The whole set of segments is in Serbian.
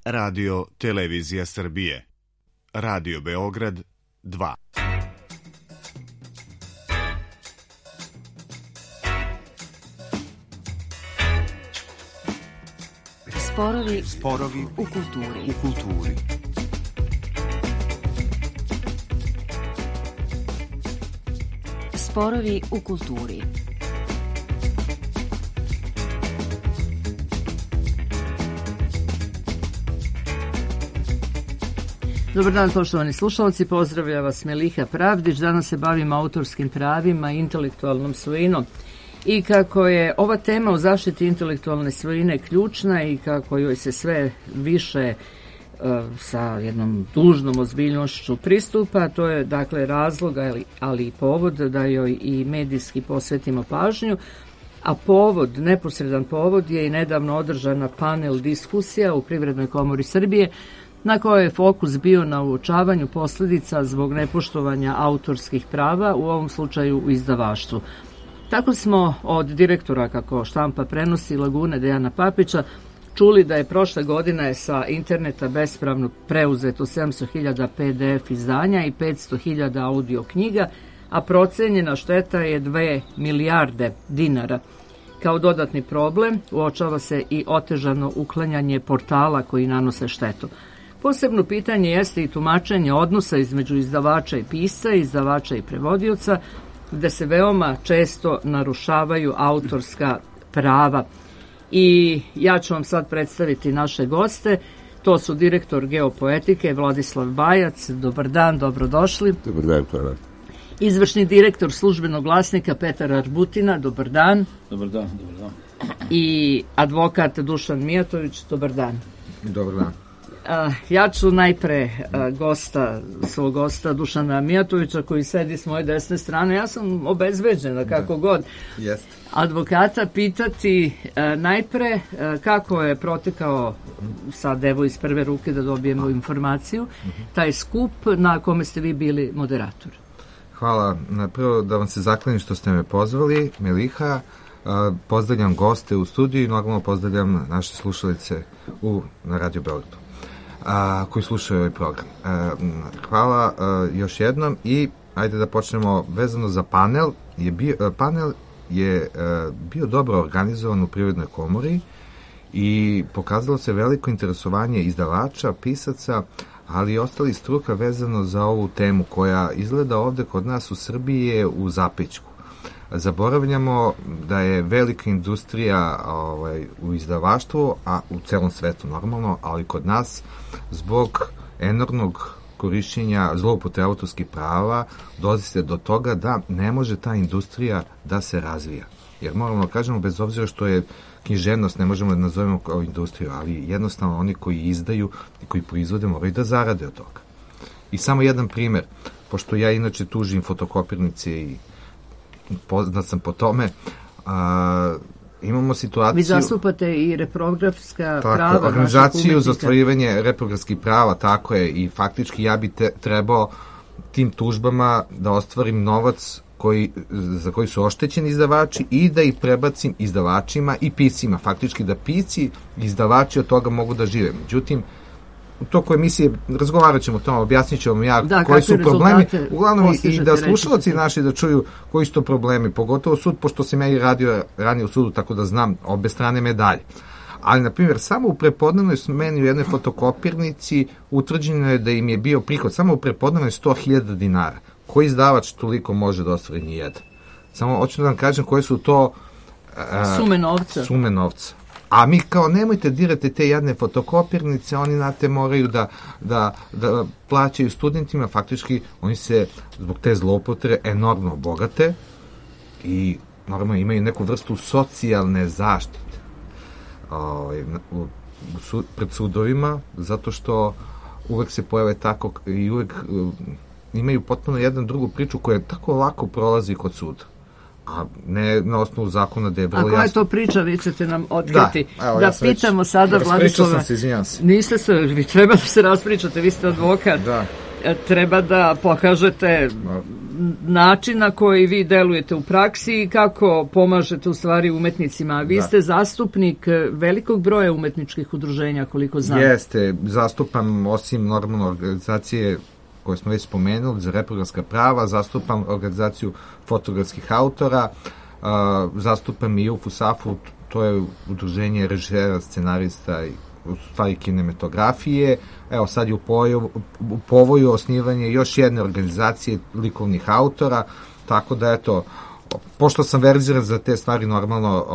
Radio Televizija Srbije. Radio Beograd 2. Sporovi u kulturi. Sporovi u kulturi. Dobar dan, poštovani slušalci, pozdravlja vas Meliha Pravdić. Danas se bavimo autorskim pravima i intelektualnom svojinom. I kako je ova tema o zaštiti intelektualne svojine ključna i kako joj se sve više sa jednom dužnom ozbiljnošću pristupa, to je dakle razlog, ali i povod da joj i medijski posvetimo pažnju. A povod, neposredan povod je i nedavno održana panel diskusija u Privrednoj komori Srbije, na kojoj je fokus bio na uočavanju posljedica zbog nepoštovanja autorskih prava, u ovom slučaju u izdavaštvu. Tako smo od direktora, kako štampa prenosi, Lagune Dejana Papića, čuli da je prošle godine sa interneta bespravno preuzeto 700.000 PDF izdanja i 500.000 audio knjiga, a procenjena šteta je 2 milijarde dinara. Kao dodatni problem uočava se i otežano uklanjanje portala koji nanose štetu. Posebno pitanje jeste i tumačenje odnosa između izdavača i pisca, izdavača i prevodioca, gde se veoma često narušavaju autorska prava. I ja ću vam sad predstaviti naše goste. To su direktor Geopoetike Vladislav Bajac. Dobar dan, dobrodošli. Dobar dan, hvala. Izvršni direktor Službenog glasnika Petar Arbutina. Dobar dan. Dobar dan. I advokat Dušan Mijatović. Dobar dan. Dobar dan. Ja ću najpre svog gosta Dušana Mijatovića, koji sedi s moje desne strane. Ja sam obezbeđena kako god. Jeste. Advokata pitati najpre kako je protekao, sad evo iz prve ruke da dobijemo informaciju, taj skup na kome ste vi bili moderator. Hvala. Prvo da vam se zaklanim što ste me pozvali, Meliha. Pozdravljam goste u studiju i normalno pozdravljam naše slušalice na Radio Beogradu koji slušaju ovaj program. Hvala još jednom i ajde da počnemo vezano za panel. Panel je bio dobro organizovan u Privrednoj komori i pokazalo se veliko interesovanje izdavača, pisaca, ali i ostali struka vezano za ovu temu koja izgleda ovde kod nas u Srbiji je u zapećku. Zaboravljamo da je velika industrija u izdavaštvu, a u celom svetu normalno, ali kod nas zbog enormnog korišćenja zloupotrebe autorskih prava dolazi se do toga da ne može ta industrija da se razvija. Jer moramo kažemo, bez obzira što je književnost, ne možemo da nazovemo kao industriju, ali jednostavno oni koji izdaju i koji proizvode moraju da zarade od toga. I samo jedan primer, pošto ja inače tužim fotokopirnice i poznat sam po tome, imamo situaciju... Vi zastupate i reprografska prava. Organizaciju za ostvarivanje reprografskih prava, tako je, i faktički ja bi trebao tim tužbama da ostvarim novac za koji su oštećeni izdavači i da ih prebacim izdavačima i piscima. Faktički da pisci i izdavači od toga mogu da žive. Međutim, u toku emisije razgovarat ćemo o tome, objasnit ću vam ja koji su problemi, uglavnom i da slušalci naši da čuju koji su to problemi, pogotovo sud, pošto sam ja i radio ranije u sudu, tako da znam obe strane medalje. Ali, na primjer, samo u prepodnevnoj smeni u jednoj fotokopirnici utvrđeno je da im je bio prihod samo u prepodnevnoj 100.000 dinara. Koji izdavač toliko može da ostvari nijedan? Samo hoću da vam kažem koje su to sume novca. A mi kao nemojte dirati te jadne fotokopirnice, oni moraju da plaćaju studentima, faktički oni se zbog te zloupotrebe enormno bogate i normalno imaju neku vrstu socijalne zaštite pred sudovima, zato što uvek se pojave tako i uvek imaju potpuno jednu drugu priču koja tako lako prolazi kod suda. A ne na osnovu zakona da je vrlo jasno. A koja je to priča, vi ćete nam otkriti. Da pitamo sada Vladislava. Niste se, vi treba da se raspričate, vi ste advokat. Treba da pokažete način na koji vi delujete u praksi i kako pomažete u stvari umetnicima. Vi ste zastupnik velikog broja umetničkih udruženja, koliko znam. Jeste, zastupam osim normalno organizacije koje smo već spomenuli za reproduktivna prava, zastupam organizaciju fotografskih autora, zastupam i UFUSAF-u, to je udruženje režisera, scenarista i u stvari kinematografije. Evo sad je u povoju osnivanje još jedne organizacije likovnih autora, tako da eto, pošto sam verziran za te stvari normalno,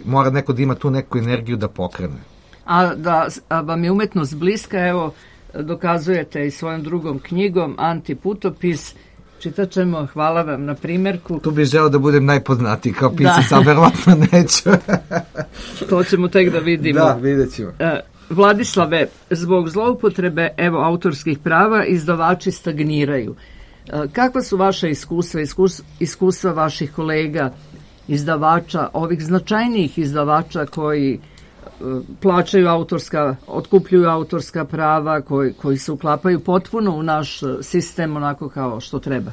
mora neko da ima tu neku energiju da pokrene. A da vam je umetnost bliska, evo, dokazujete i svojom drugom knjigom Antiputopis. Čitat ćemo, hvala vam na primjerku. Tu bih želeo da budem najpoznatiji kao pisac, a verovatno neću. To ćemo tek da vidimo. Da, vidjet ćemo. Vladislave, zbog zloupotrebe autorskih prava izdavači stagniraju. Kakva su vaša iskustva vaših kolega izdavača, ovih značajnijih izdavača koji plaćaju otkupljuju autorska prava, koji se uklapaju potpuno u naš sistem onako kao što treba?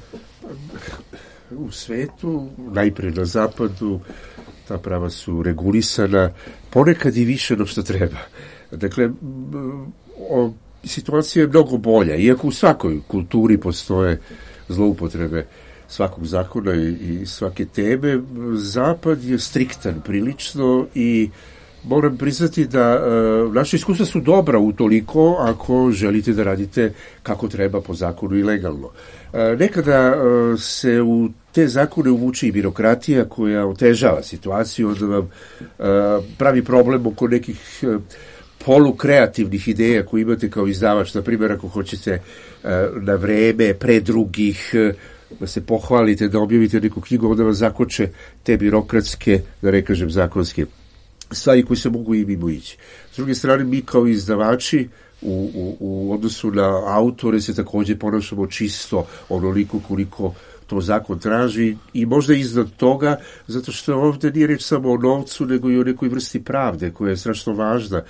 U svetu, najprije na zapadu, ta prava su regulisana ponekad i više nego što treba. Dakle, situacija je mnogo bolja, iako u svakoj kulturi postoje zloupotrebe svakog zakona i svake teme. Zapad je striktan prilično i moram priznati da naše iskustva su dobra utoliko ako želite da radite kako treba po zakonu i legalno. Nekada se u te zakone uvuče i birokratija koja otežava situaciju, onda vam pravi problem oko nekih polukreativnih ideja koje imate kao izdavač. Na primjer, ako hoćete na vreme, pre drugih, da se pohvalite, da objavite neku knjigu, onda vam zakoče te birokratske, da ne kažem zakonske stvari koji se mogu i mimo ići. S druge strane, mi kao izdavači u odnosu na autore se također ponašamo čisto onoliko koliko to zakon traži i možda iznad toga, zato što ovdje nije reč samo o novcu, nego i o nekoj vrsti pravde koja je strašno važna.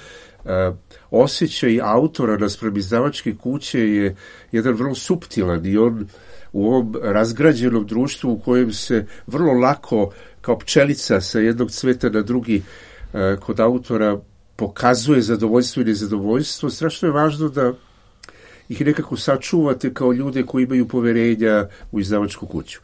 Osjećaj autora naspram izdavačke kuće je jedan vrlo suptilan i on u ovom razgrađenom društvu u kojem se vrlo lako kao pčelica sa jednog cveta na drugi kod autora pokazuje zadovoljstvo i nezadovoljstvo, strašno je važno da ih nekako sačuvate kao ljude koji imaju poverenja u izdavačku kuću.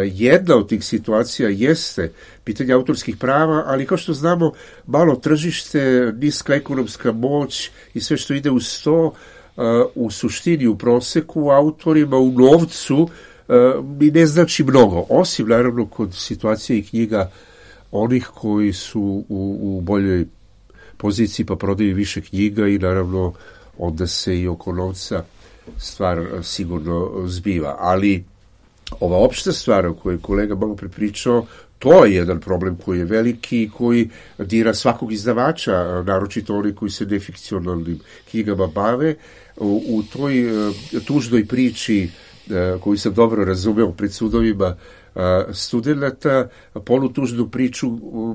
Jedna od tih situacija jeste pitanje autorskih prava, ali kao što znamo, malo tržište, niska ekonomska moć i sve što ide uz to, u suštini, u proseku, autorima, u novcu, mi ne znači mnogo. Osim, naravno, kod situacije i knjiga onih koji su u boljoj poziciji pa prodaju više knjiga i naravno onda se i oko novca stvar sigurno zbiva. Ali ova opšta stvar o kojoj kolega malo prepričao, to je jedan problem koji je veliki i koji dira svakog izdavača, naročito oni koji se nefikcionalnim knjigama bave. U toj tužnoj priči koju sam dobro razumeo pred sudovima studenata, polutužnu priču,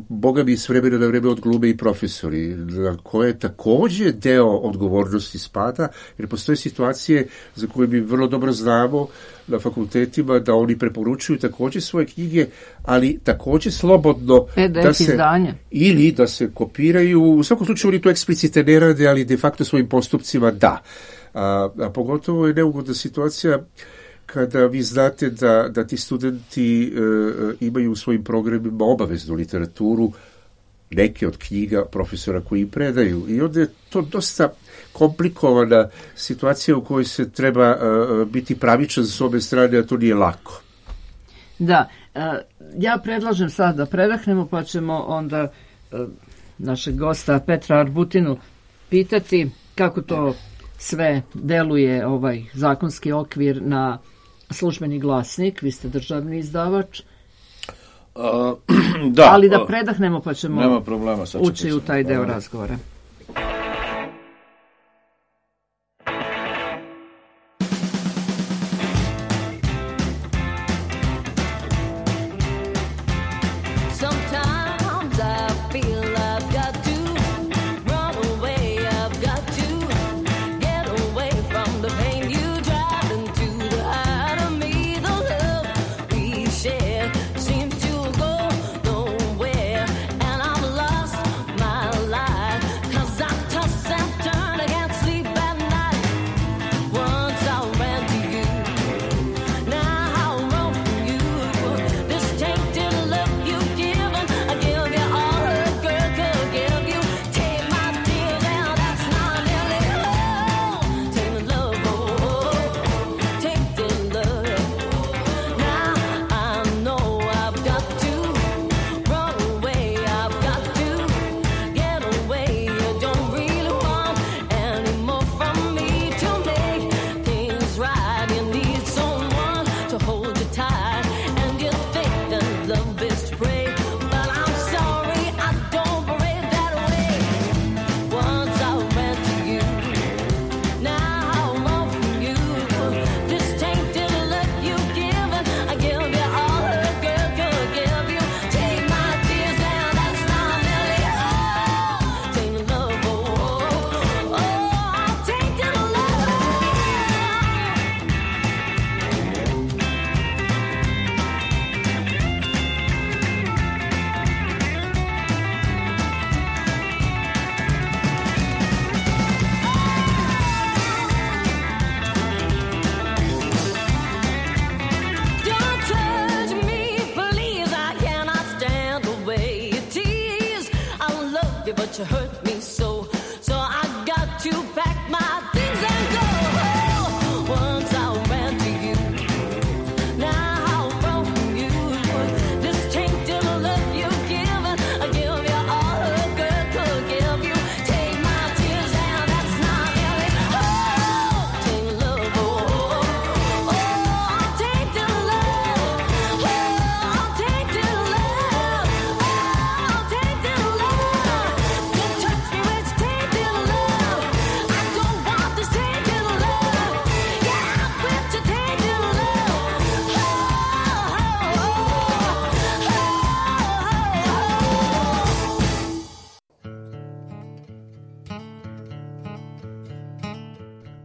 boga mi s vremena na vreme odglume i profesori, na koje također deo odgovornosti spada, jer postoje situacije za koje mi vrlo dobro znamo na fakultetima da oni preporučuju također svoje knjige, ali također slobodno da se izdanje. Ili da se kopiraju, u svakom slučaju oni to eksplicite ne rade, ali de facto svojim postupcima da. A pogotovo je neugodna situacija kada vi znate da ti studenti imaju u svojim programima obaveznu literaturu, neke od knjiga profesora koji im predaju. I onda je to dosta komplikovana situacija u kojoj se treba biti pravičan s obe strane, a to nije lako. Da, ja predlažem sad da predahnemo, pa ćemo onda našeg gosta Petra Arbutinu pitati kako to sve deluje ovaj zakonski okvir na Službeni glasnik. Vi ste državni izdavač. Da. Ali da predahnemo pa ćemo nema problema, ući u taj deo razgovora. Get away from the pain you drive into the heart of me. The love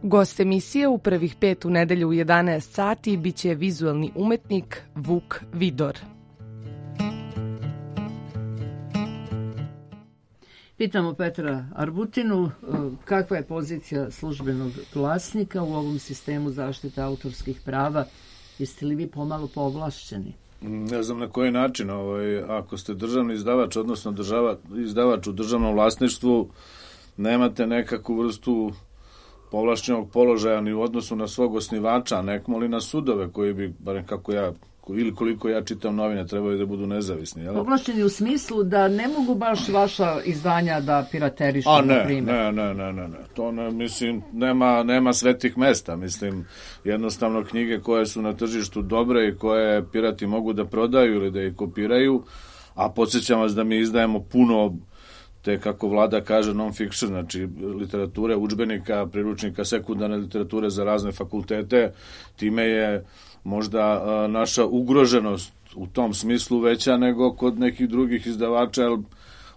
Gost emisije u prvih 5 u nedelju u 11 sati biće vizualni umetnik Vuk Vidor. Pitamo Petra Arbutinu kakva je pozicija službenog glasnika u ovom sistemu zaštite autorskih prava. Jeste li vi pomalo povlašćeni? Ne znam na koji način. Ako ste državni izdavač, odnosno izdavač u državnom vlasništvu, nemate nekakvu vrstu povlašćenog položaja ni u odnosu na svog osnivača, nekmoli na sudove koji bi, barem kako ja, ili koliko ja čitam novine, trebaju da budu nezavisni. Jel? Povlašćeni u smislu da ne mogu baš vaša izdanja da piraterišu, na primjer. Ne. To ne, mislim, nema svetih mesta. Mislim, jednostavno knjige koje su na tržištu dobre i koje pirati mogu da prodaju ili da ih kopiraju, a podsjećam vas da mi izdajemo puno te, kako vlada kaže, non-fiction, znači literature, udžbenika, priručnika, sekundarne literature za razne fakultete. Time je možda naša ugroženost u tom smislu veća nego kod nekih drugih izdavača, jer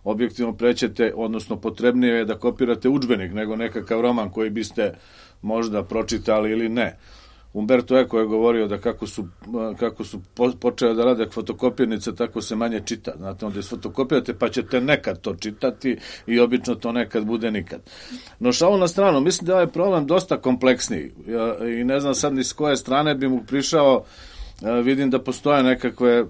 objektivno prećete, odnosno potrebnije je da kopirate udžbenik nego nekakav roman koji biste možda pročitali ili ne. Umberto Eco je govorio da kako su počeli da rade fotokopirnice, tako se manje čita. Znate, onda isfotokopirate pa ćete nekad to čitati i obično to nekad bude nikad. No šalu na stranu, mislim da je ovaj problem dosta kompleksniji i ne znam sad ni s koje strane bi mu prišao. Vidim da postoje nekakve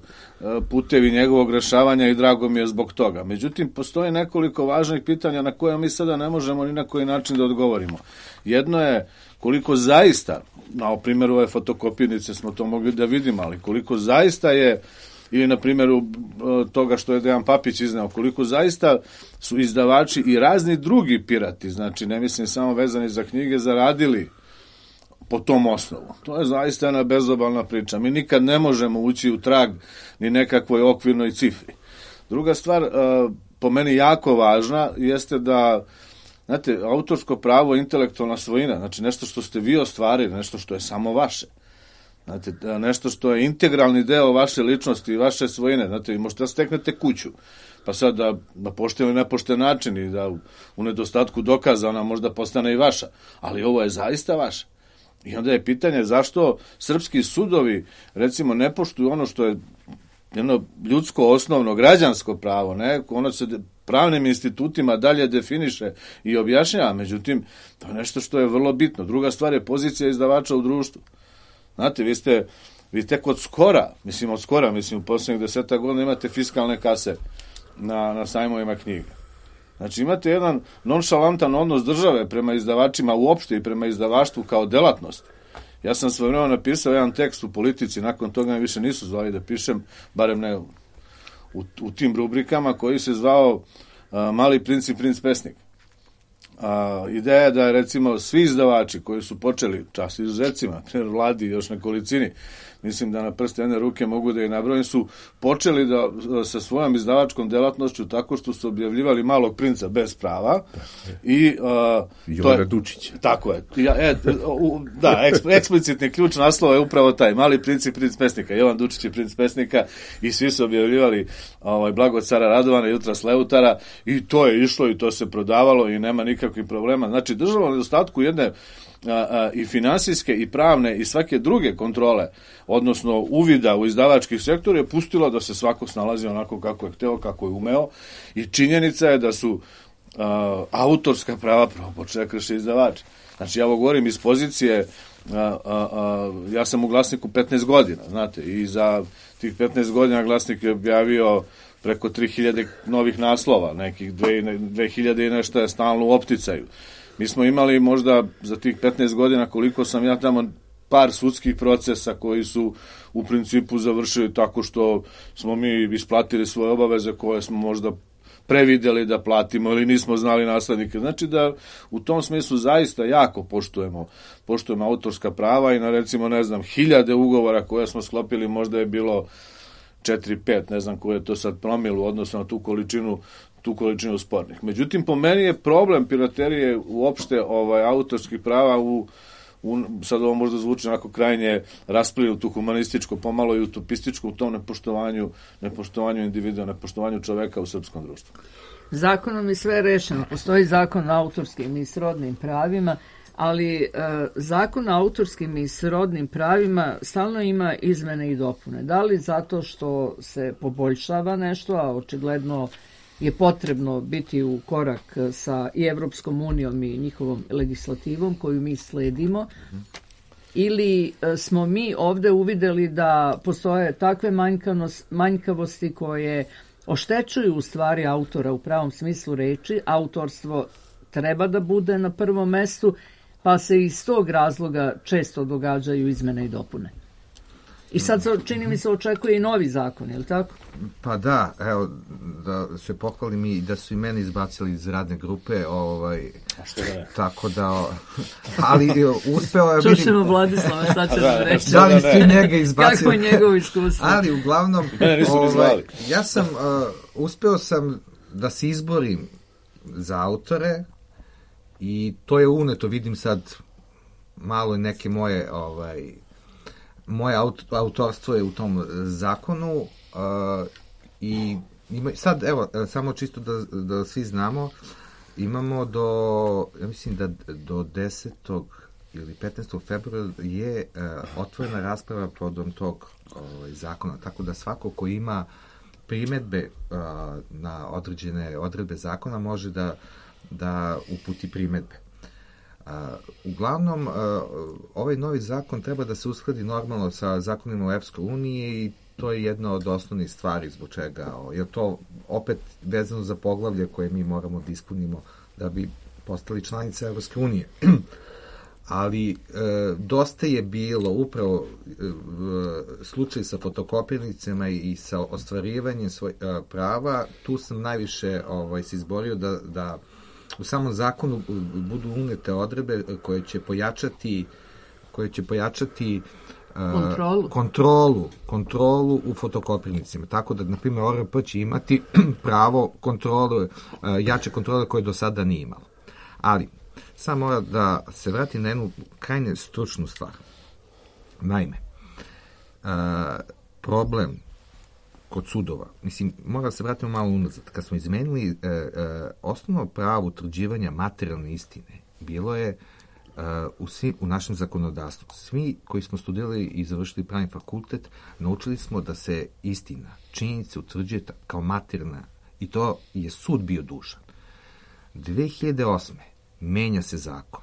putevi njegovog rešavanja i drago mi je zbog toga. Međutim, postoje nekoliko važnih pitanja na koje mi sada ne možemo ni na koji način da odgovorimo. Jedno je koliko zaista, na primjeru ove fotokopirnice smo to mogli da vidimo, ali koliko zaista je, ili na primjeru toga što je Dejan Papić izneo, koliko zaista su izdavači i razni drugi pirati, znači ne mislim samo vezani za knjige, zaradili po tom osnovu. To je zaista jedna bezobalna priča. Mi nikad ne možemo ući u trag ni nekakvoj okvirnoj cifri. Druga stvar, po meni jako važna, jeste da, znate, autorsko pravo, intelektualna svojina, znači nešto što ste vi ostvarili, nešto što je samo vaše. Znate, nešto što je integralni deo vaše ličnosti i vaše svojine. Znate, možete da steknete kuću, pa sad da pošten ili nepošten način i da u nedostatku dokaza ona možda postane i vaša. Ali ovo je zaista vaše. I onda je pitanje zašto srpski sudovi, recimo, ne poštuju ono što je jedno ljudsko, osnovno, građansko pravo, ne? Ono se pravnim institutima dalje definiše i objašnjava, međutim, to je nešto što je vrlo bitno. Druga stvar je pozicija izdavača u društvu. Znate, vi tek od skora, u posljednjih 10 godina imate fiskalne kase na sajmovima knjiga. Znači, imate jedan nonšalantan odnos države prema izdavačima uopšte i prema izdavaštvu kao delatnost. Ja sam svojevremeno napisao jedan tekst u Politici, nakon toga me više nisu zvali da pišem, barem ne u tim rubrikama, koji se zvao Mali princ i princ pesnik. Ideja je da, recimo, svi izdavači koji su počeli, čast izuzecima, Vladi i još nekolicini, mislim da na prste jedne ruke mogu da je nabrojim, su počeli da sa svojom izdavačkom delatnošću tako što su objavljivali Malog princa bez prava i Jovana Dučića. Tako je. Eksplicitni ključ naslova je upravo taj, Mali princ i princ pesnika. Jovan Dučić je princ pesnika i svi su objavljivali Blago cara Radovana i Jutras Leutara i to je išlo i to se prodavalo i nema nikakvih problema. Znači, država u nedostatku jedne i finansijske i pravne i svake druge kontrole, odnosno uvida u izdavačkih sektora, je pustila da se svako snalazi onako kako je hteo, kako je umeo, i činjenica je da su autorska prava prvo počeli krše izdavači. Znači, ja ovo govorim iz pozicije, ja sam u Glasniku 15 godina, znate, i za tih 15 godina Glasnik je objavio preko 3000 novih naslova, nekih 2000 i nešto je stalno u opticaju. Mi smo imali možda za tih 15 godina, koliko sam ja tamo, par sudskih procesa koji su u principu završili tako što smo mi isplatili svoje obaveze koje smo možda prevideli da platimo ili nismo znali naslednike. Znači da u tom smislu zaista jako poštujemo autorska prava i na, recimo, ne znam, 1000 ugovora koje smo sklopili, možda je bilo 4-5, ne znam koje je to sad promilu, odnosno na tu količinu spornih. Međutim, po meni je problem piraterije uopšte autorskih prava sad ovo možda zvuči onako krajnje rasplinuto, humanističko, pomalo i utopističko, u tom nepoštovanju individua, nepoštovanju čoveka u srpskom društvu. Zakonom je sve rešeno. Postoji zakon o autorskim i srodnim pravima. ali zakon o autorskim i srodnim pravima stalno ima izmene i dopune. Da li zato što se poboljšava nešto, a očigledno je potrebno biti u korak sa i Evropskom unijom i njihovom legislativom koju mi sledimo, ili smo mi ovde uvideli da postoje takve manjkavosti koje oštećuju u stvari autora u pravom smislu reči, autorstvo treba da bude na prvom mestu, pa se iz tog razloga često događaju izmene i dopune. I sad čini mi se očekuje i novi zakon, je li tako? Pa da, evo, da se pohvalim i da su i mene izbacili iz radne grupe, A što da je? tako da, ali uspeo je... Čušemo Vladislava, šta će nam reći? Da li su njega izbacili? Kako je njegovo iskustvo? Ali uglavnom, ja sam, uspeo sam da se izborim za autore i to je uneto, vidim sad malo neke moje, moje autorstvo je u tom zakonu i sad, evo, samo čisto da svi znamo, imamo ja mislim da do 10. ili 15. februara je otvorena rasprava povodom tog zakona, tako da svako ko ima primedbe na određene odredbe zakona može da uputi primedbe. Uglavnom, ovaj novi zakon treba da se uskladi normalno sa zakonima u Evropskoj uniji i to je jedna od osnovnih stvari zbog čega, jer to opet vezano za poglavlje koje mi moramo da ispunimo da bi postali članice Evropske unije. Ali dosta je bilo upravo slučaj sa fotokopirnicama i sa ostvarivanjem prava. Tu sam najviše se izborio da u samom zakonu budu unete odredbe koje će pojačati kontrolu u fotokopirnicima. Tako da, na primjer, ORP će imati pravo kontrole, jače kontrole koje do sada nije imalo. Ali, sad mora da se vrati na jednu krajnje stručnu stvar. Naime, problem kod sudova, mislim, mora da se vratimo malo unazad. Kad smo izmenili osnovno pravo utvrđivanja materijalne istine, bilo je u našem zakonodavstvu. Svi koji smo studirali i završili pravni fakultet, naučili smo da se istina, činjenica utvrđuje kao materijalna i to je sud bio dužan. 2008. menja se zakon.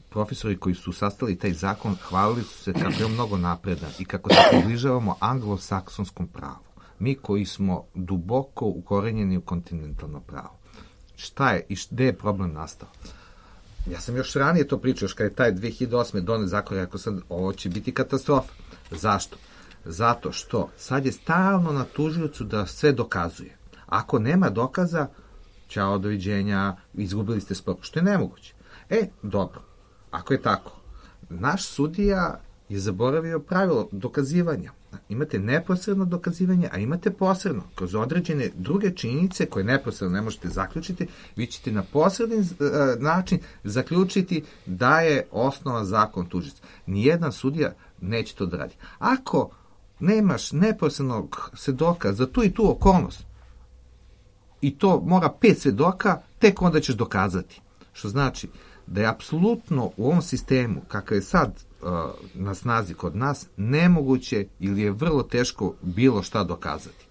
Profesori koji su sastavili taj zakon hvalili su se kako je mnogo napredan i kako se približavamo anglosaksonskom pravu. Mi koji smo duboko ukorenjeni u kontinentalno pravo. Šta je i gde je problem nastao? Ja sam još ranije to pričao, još kada je taj 2008. donet zakon, rekao sam, ovo će biti katastrofa. Zašto? Zato što sad je stalno na tužiocu da sve dokazuje. Ako nema dokaza, ćao, doviđenja, izgubili ste spor, što je nemoguće. Dobro, ako je tako, naš sudija je zaboravio pravilo dokazivanja. Imate neposredno dokazivanje, a imate posredno. Kroz određene druge činjenice koje neposredno ne možete zaključiti, vi ćete na posredni način zaključiti da je osnovan zakon tužilac. Nijedan sudija neće to da radi. Ako nemaš neposrednog svedoka za tu i tu okolnost, i to mora 5 svedoka, tek onda ćeš dokazati. Što znači da je apsolutno u ovom sistemu, kakav je sad na snazi kod nas, nemoguće ili je vrlo teško bilo šta dokazati.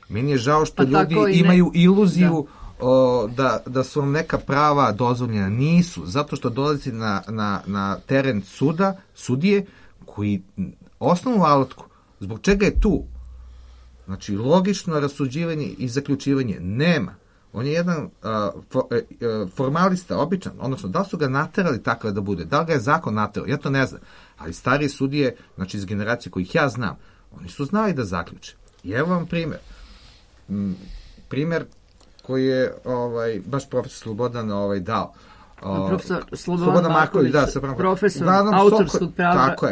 Meni je žao što ljudi imaju iluziju da su vam neka prava dozvoljena. Nisu, zato što dolazi na teren sudije koji osnovnu alatku, zbog čega je tu, znači logično rasuđivanje i zaključivanje, nema. On je jedan formalista, običan, odnosno da su ga naterali tako da bude, da li ga je zakon naterao, ja to ne znam, ali starije sudije, znači iz generacije kojih ja znam, oni su znali da zaključe. I evo vam primjer. Primjer koji je baš profesor Slobodan dao. Profesor Slobodan Marković, profesor autorskog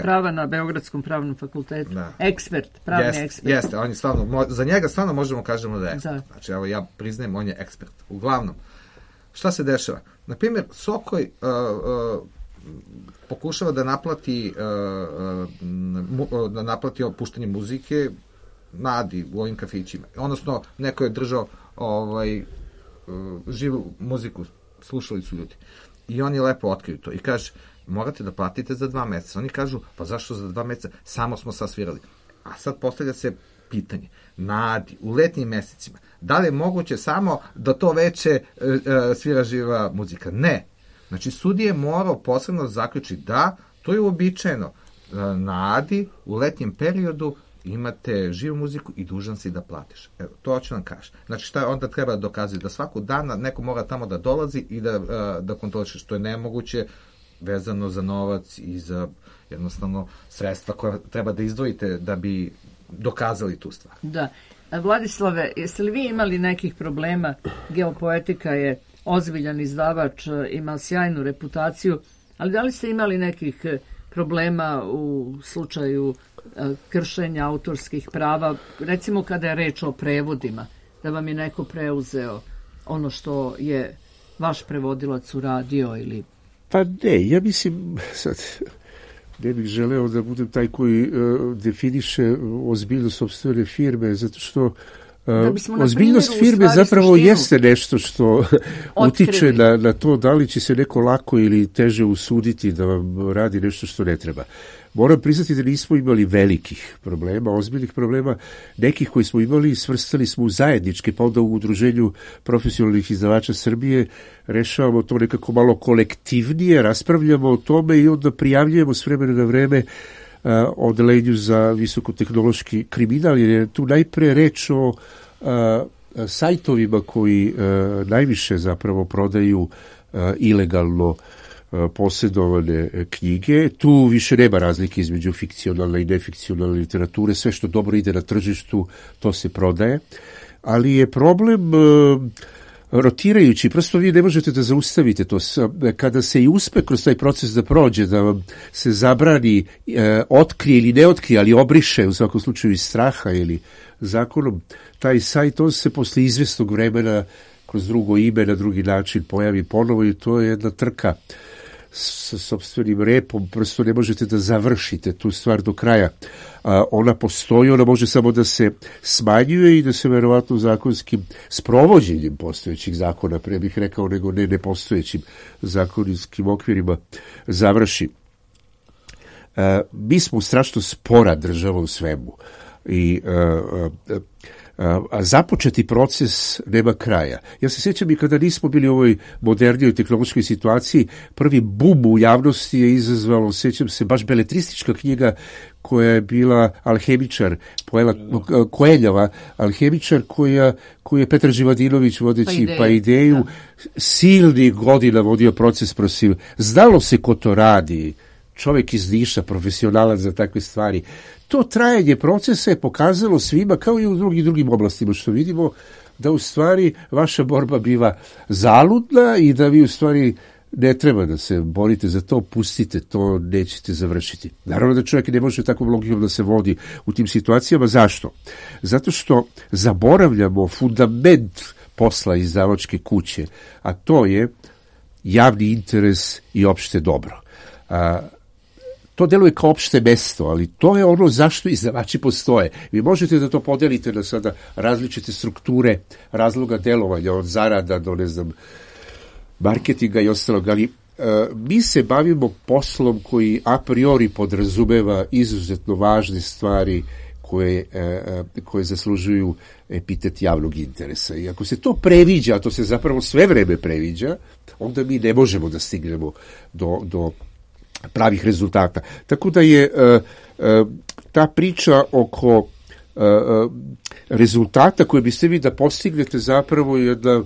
prava na Beogradskom pravnom fakultetu. Pravni ekspert. Jeste, on je stvarno, za njega stvarno možemo kažemo da je ekspert. Znači, evo ja priznajem, on je ekspert. Uglavnom, šta se dešava? Naprimjer, Sokoj pokušava da naplati opuštanje muzike na Adi u ovim kafićima. Odnosno, neko je držao živu muziku slušali su ljudi. I oni lepo otkriju to i kaže, morate da platite za 2 meseca. Oni kažu, pa zašto za 2 meseca? Samo smo sasvirali. A sad postavlja se pitanje, na Adi, u letnjim mesecima, da li je moguće samo da to veče svira živa muzika? Ne. Znači, sudija je morao posebno zaključiti da, to je uobičajeno. Na Adi, u letnjem periodu, imate živu muziku i dužan si da platiš. Evo, to hoću nam kaži. Znači, šta onda treba dokazati? Da svakog dana neko mora tamo da dolazi i da kontroliše, što je nemoguće vezano za novac i za jednostavno sredstva koja treba da izdvojite da bi dokazali tu stvar. Da. Vladislave, jeste li vi imali nekih problema? Geopoetika je ozbiljan izdavač, ima sjajnu reputaciju, ali da li ste imali nekih problema u slučaju kršenja autorskih prava, recimo kada je reč o prevodima, da vam je neko preuzeo ono što je vaš prevodilac uradio ili... Pa ne, ja mislim, sad, ne bih želeo da budem taj koji definiše ozbiljnost sopstvene firme, zato što ozbiljnost firme zapravo jeste nešto što utiče na to da li će se neko lako ili teže usuditi da vam radi nešto što ne treba. Moram priznati da nismo imali velikih problema, ozbiljnih problema. Nekih koji smo imali svrstali smo u zajedničke, pa onda u Udruženju profesionalnih izdavača Srbije rešavamo to nekako malo kolektivnije, raspravljamo o tome i onda prijavljujemo s vremena na vreme odelenju za visokotehnološki kriminal, jer je tu najpre reč o sajtovima koji najviše zapravo prodaju ilegalno posjedovane knjige. Tu više nema razlike između fikcionalne i nefikcionalne literature. Sve što dobro ide na tržištu, to se prodaje. Ali je problem rotirajući, prosto vi ne možete da zaustavite to. Kada se i uspe kroz taj proces da prođe, da vam se zabrani, otkrije ili ne otkrije, ali obriše u svakom slučaju iz straha ili zakonom, taj sajt, on se posle izvesnog vremena kroz drugo ime, na drugi način pojavi ponovo i to je jedna trka sa sopstvenim repom, prosto ne možete da završite tu stvar do kraja. Ona postoji, ona može samo da se smanjuje i da se verovatno zakonskim sprovođenjem postojećih zakona, pre bih rekao, nego ne nepostojećim zakonskim okvirima završi. Mi smo strašno spora država u svemu i a započeti proces nema kraja. Ja se sjećam i kada nismo bili u ovoj modernijoj tehnološkoj situaciji, prvi bum u javnosti je izazvalo, sjećam se, baš beletristička knjiga koja je bila Alhemičar, Koeljava, Alhemičar, koju je Petar Živadinović vodeći pa ideju, silnih godina vodio proces protiv. Znalo se ko to radi, čovjek iz Niša, profesionalac za takve stvari. To trajanje procesa je pokazalo svima, kao i u drugim oblastima, što vidimo da u stvari vaša borba biva zaludna i da vi u stvari ne treba da se borite za to, pustite, to nećete završiti. Naravno da čovjek ne može takvom logikom da se vodi u tim situacijama. Zašto? Zato što zaboravljamo fundament posla izdavačke kuće, a to je javni interes i opšte dobro. To deluje kao opšte mesto, ali to je ono zašto izdavači postoje. Vi možete da to podelite na sada različite strukture razloga delovanja, od zarada do, ne znam, marketinga i ostalog, ali mi se bavimo poslom koji a priori podrazumeva izuzetno važne stvari koje zaslužuju epitet javnog interesa. I ako se to previđa, a to se zapravo sve vreme previđa, onda mi ne možemo da stignemo do pravih rezultata. Tako da je ta priča oko rezultata koje biste vi da postignete zapravo jedna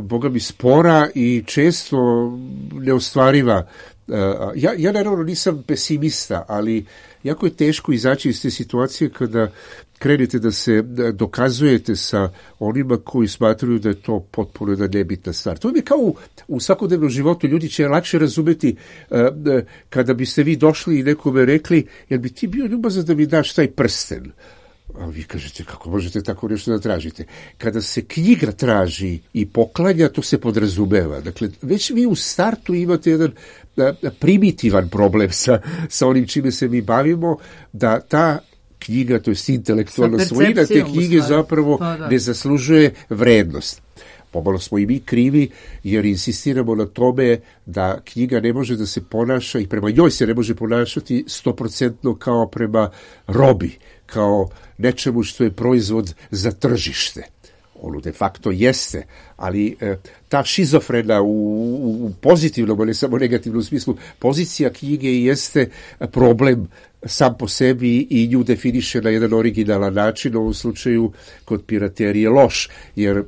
boga mi spora i često neostvariva. Ja naravno nisam pesimista, ali jako je teško izaći iz te situacije kada krenete da se dokazujete sa onima koji smatruju da je to potpuno jedna nebitna stvar. To je kao u svakodnevnom životu. Ljudi će lakše razumeti kada biste vi došli i nekome rekli, jer bi ti bio ljubazan da mi daš taj prsten. A vi kažete, kako možete tako nešto da tražite? Kada se knjiga traži i poklanja, to se podrazumeva. Dakle, već vi u startu imate jedan primitivan problem sa onim čime se mi bavimo, da ta knjiga, to je intelektualna svojina, te knjige zapravo ne zaslužuje vrednost. pomalo smo i mi krivi, jer insistiramo na tome da knjiga ne može da se ponaša i prema njoj se ne može ponašati 100% kao prema robi, kao nečemu što je proizvod za tržište. Ono de facto jeste, ali ta šizofrena u pozitivnom, a ne samo negativnom smislu, pozicija knjige jeste problem sam po sebi i nju definiše na jedan originalan način, u ovom slučaju kod piraterije loš, jer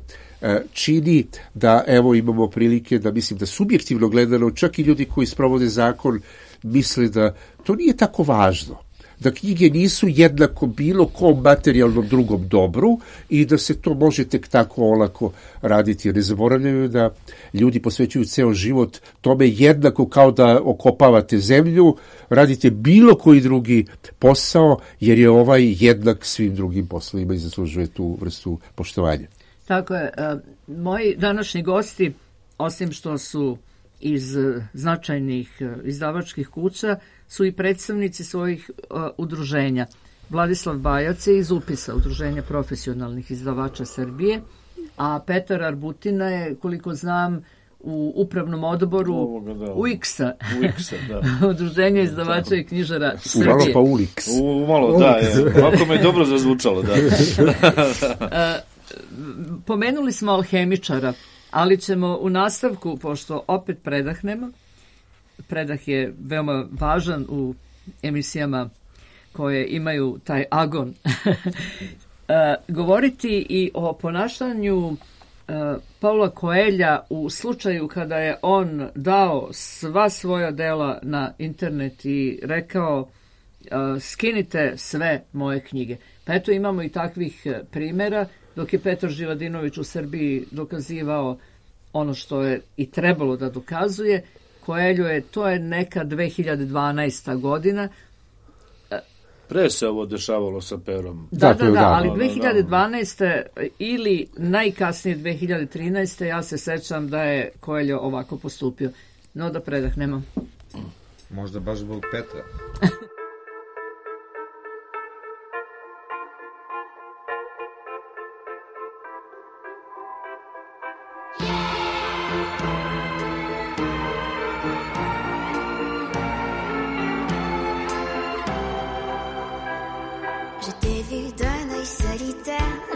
čini da, evo imamo prilike da mislim da subjektivno gledano, čak i ljudi koji sprovode zakon misle da to nije tako važno, da knjige nisu jednako bilo kom materijalnom drugom dobru i da se to može tek tako olako raditi. Jer ne zaboravljaju da ljudi posvećuju ceo život tome jednako kao da okopavate zemlju, radite bilo koji drugi posao, jer je ovaj jednak svim drugim poslovima i zaslužuje tu vrstu poštovanja. Tako je. Moji današnji gosti, osim što su iz značajnih izdavačkih kuća, su i predstavnici svojih udruženja. Vladislav Bajac je iz UPIS-a, Udruženja profesionalnih izdavača Srbije, a Petar Arbutina je, koliko znam, u upravnom odboru UIKS-a, Udruženja izdavača i knjižara Srbije. Umalo pa ULIKS. Umalo, da. Ovako me je dobro zazvučalo, da. Pomenuli smo alhemičara, ali ćemo u nastavku, pošto opet predahnemo, predah je veoma važan u emisijama koje imaju taj agon, govoriti i o ponašanju Paula Coelha u slučaju kada je on dao sva svoja dela na internet i rekao skinite sve moje knjige. Pa eto imamo i takvih primjera, dok je Petar Živadinović u Srbiji dokazivao ono što je i trebalo da dokazuje. Coelho je, to je neka 2012. godina. Pre se ovo dešavalo sa Perom. Da, ali 2012. ili najkasnije 2013. ja se sećam da je Coelho ovako postupio. No da predahnemo. Možda baš zbog Petra.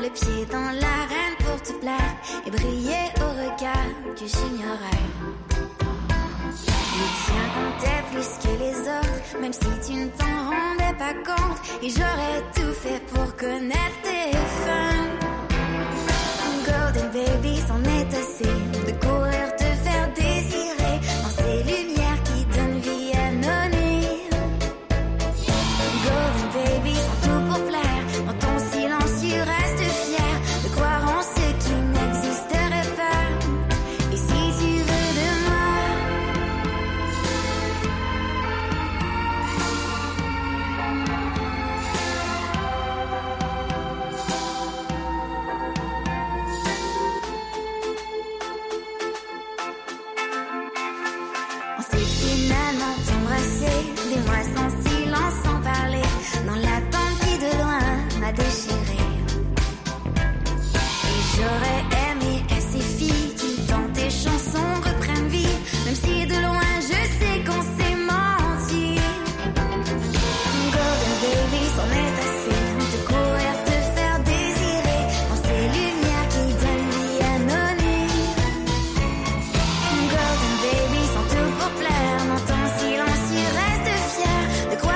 Le pied dans l'arène pour te plaire et briller au regard que j'ignorais. Le tien comptait plus que les autres, même si tu ne t'en rendais pas compte. Et j'aurais tout fait pour connaître tes fins. Golden baby, c'en est assez de courir te faire désirer dans ces lumières qui donnent vie anonyme. Golden baby, sans tout pour plaire, dans ton silence tu restes fier de croire en ce qui n'existerait pas. Et si tu veux de moi, on s'est finalement embrassé, des mois sans silence, sans parler, dans l'attente qui de loin m'a déchiré. Et j'aurais aimé que ces filles qui dans tes chansons reprennent vie, même si de loin je sais qu'on s'est menti. Golden baby, c'en est assez de courir te faire désirer dans ces lumières qui donnent vie anonyme. Golden baby, sans tout pour plaire, dans ton silence tu restes fier de croire